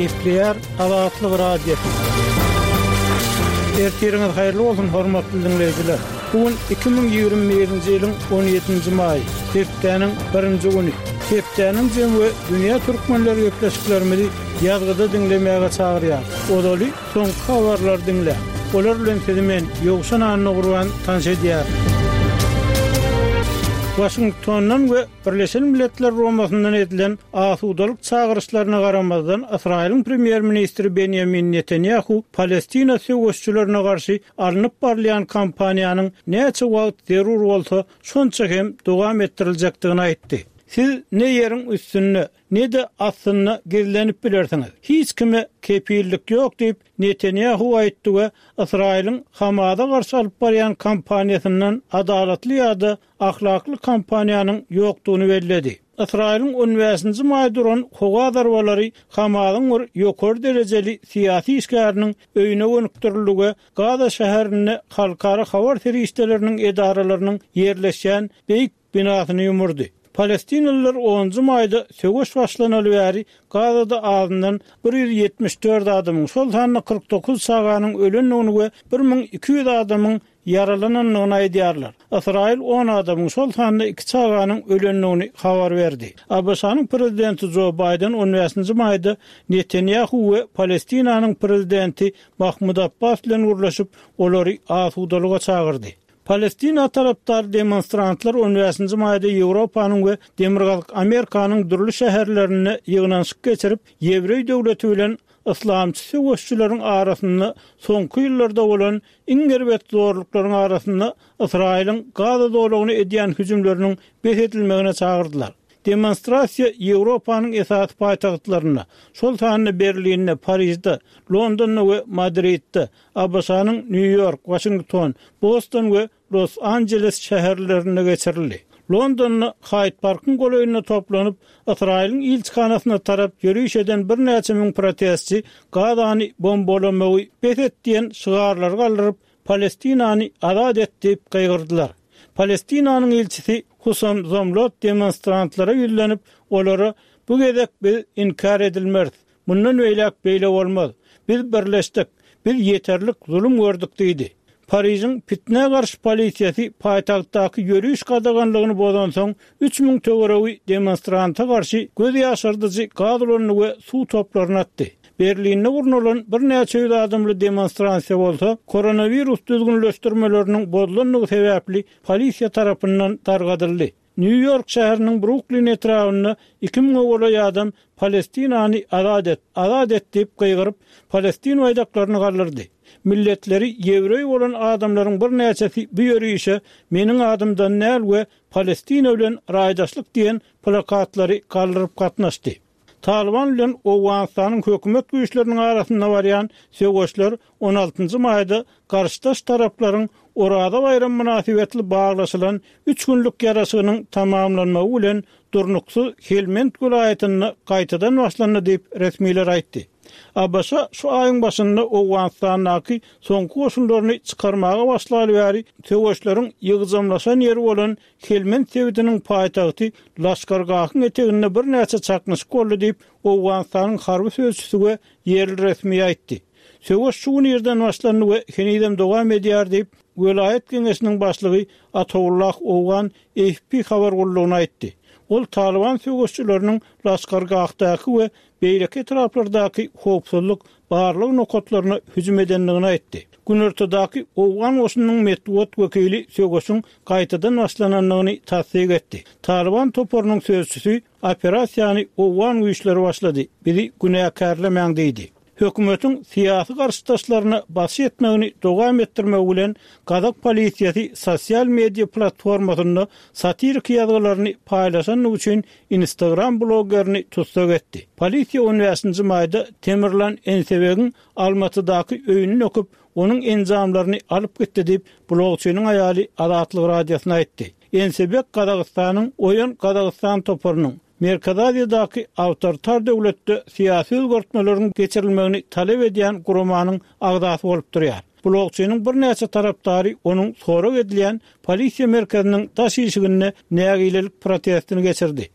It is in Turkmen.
Gepleýär Azatlyk Radiosy. Ertiriňiz haýyrly bolsun, hormatly diňleýjiler! Bu gün 2021-nji ýylyň on ýedinji maýy, hepdäniň birinji güni. Hepdäniň jemi we dünýä türkmenleri gepleşiklerimizi ýazgyda diňlemäge çagyrýar. Ozaly soňky habarlary diňläň. Olar bilen sizi men, Ýowşan Annagurban, tanyş edýärin. Waşingtondan we Birleşen Milletler Guramasyndan edilen asudalyk çagyryşlaryna garamazdan, Ysraýylyň premýer-ministri Benýamin Netanýahu Palestina söweşijilerine garşy alnyp barylýan kampaniýanyň näçe wagt zerur bolsa, şonça hem dowam etdiriljekdigini aýtdy. Siz ne ýeriň üstünde, ne-de astynda gizlenip bilersiňiz. Hiç kime kepillik ýok diýip, Netanýahu aýtdy we Ysraýylyň Hamasa garşy alyp barýan kampaniýasyndan adalatly ýa-da ahlakly kampaniýanyň ýokdugyny belledi. Ysraýylyň on bäşinji maýda uran howa zarbalary Hamasyň bir ýokary derejeli syýasy işgäriniň öýüne gönükdirildi we Gaza şäherinde halkara habar serişdeleriniň edaralarynyň ýerleşýän beýik binasyny ýumurdy. Palestinalylar onunjy maýda söweş başlanaly bäri Gazada azyndan 174 adamyň, şol sanda 49 çaganyň ölendigini we 1200 adamyň ýaralanandygyny aýdýarlar. Ysraýyl on adamyň, şol sanda iki çaganyň ölendigini habar berdi. ABŞ-nyň prezidenti Jo Baýden on bäşinji maýda Netanýahu we Palestinanyň prezidenti Mahmud Abbas bilen gürleşip, olary asudalyga çagyrdy. Palestina tarapdary demonstrantlar on bäşinji maýda Ýewropanyň we Demirgazyk Amerikanyň dürli şäherlerinde ýygnanyşyk geçirip, ýewreý döwleti bilen yslamçy söweşijileriň arasynda soňky ýyllarda bolan iň erbet zorluklaryň arasynda Ysraýylyň Gaza zolagyna edýän hüjümleriniň bes edilmegine çagyrdylar. Demonstrasiýa Ýewropanyň esasy paýtagtlarynda, şol sanda Berlinde, Parižde, Londonda we Madridde, ABŞ-nyň Nýu-Ýork, Waşington, Boston we Los-Anjeles şäherlerinde geçirildi. Londonda Haýd-parkyň golaýynda toplanyp, Ysraýylyň ilçihanasyna tarap ýöriş eden birnäçe müň protestçi Gazany bombalamagy bes et diýen şygarlary galdyryp, Palestinany azat et diýip gygyrdylar. Palestinanyň ilçisi Husam Zomlot demonstrantlara ýüzlenip, olara Bu gezek biz inkär edilmeris. Mundan beýläk beýle bolmaz. Biz birleşdik. Biz ýeterlik zulum gördük diýdi. Parižiň pitnä garşy polisiýasy paýtagtdaky ýöriş gadaganlygyny bozansoň, 3000 töweregi demonstranta garşy göz ýaşardyjy gaz ulandy we suw toplaryny atdy. Berlinde gurnalan birnäçe ýüz adamly demonstrasiýa bolsa, koronawirus düzgünleşdirmeleriniň bozulandygy sebäpli polisiýa tarapyndan dargadyldy. Nýu-Ýork şäheriniň Bruklin etrabynda iki müňe golaý adam Palestinany azat et! Azat et! diýip gygyryp, palestin baýdaklaryny galdyrdy. Milletleri ýewreý bolan adamlaryň birnäçesi bu ýörişe Meniň adymdan däl we Palestina bilen raýdaşlyk diýen plakatlary galdyryp gatnaşdy. Talyban bilen Owganystanyň hökümet güýçleriniň arasynda barýan söweşler on altynjy maýda garşydaş taraplaryň Oraza baýramy mynasybetli baglaşylan üç günlük ýaraşygynyň tamamlanmagy bilen durnuksyz Helmend welaýatynda gaýtadan başlandy diýip, resmiler aýtdy. ABŞ şu aýyň başynda Owganystandaky soňky goşunlaryny çykarmaga başlaly bäri söweşleriň ýygjamlaşan ýeri bolan Helmend sebitiniň paýtagty Laşkargahyň eteginde birnäçe çaknyşyk boldy diýip, Owganystanyň harby sözçüsi we ýerli resmi aýtdy. Söweş şu gün irden başlandy we henizem dowam edýär diýip, welaýat geňeşiniň başlygy Atawullah Owgan AFP habar gullugyna aýtdy. Ol Talyban söweşçileriniň Laşkargahdaky we beýleki etraplardaky howpsuzlyk barlag nokatlaryna hüjüm edendigini aýtdy. Günortadaky owgan goşunynyň metbugat wekili söweşiň gaýtadan başlanandygyny tassyk etdi. Talyban toparynyň sözçüsi Operasiýany owgan güýçleri başlady, bizi günäkärlemäň diýdi. Hökümetiň syýasy garşydaşlaryna basyş etmegini dowam etdirmegi bilen gazak polisiýasy sosial media platformasynda satiriki ýazgylaryny paýlaşandygy üçin Instagram blogerini tussag etdi. Polisiýa on bäşinji maýda Temirlan Ensebegiň Almatydaky öýüni döküp, onuň enjamlaryny alyp gitdi diýip, blogçynyň aýaly Azatlyk Radiosyna aýtdy. Ensebek Gazagystanyň Oýan Gazagystan toparynyň, Merkezi Aziýadaky awtoritar döwletde syýasy özgertmeleriň geçirilmegini talap edýän guramanyň agzasy bolup durýar. Blogçynyň birnäçe tarapdary onuň sorag edilýän polisiýa merkeziniň daş işiginde nägilelik protestini geçirdi.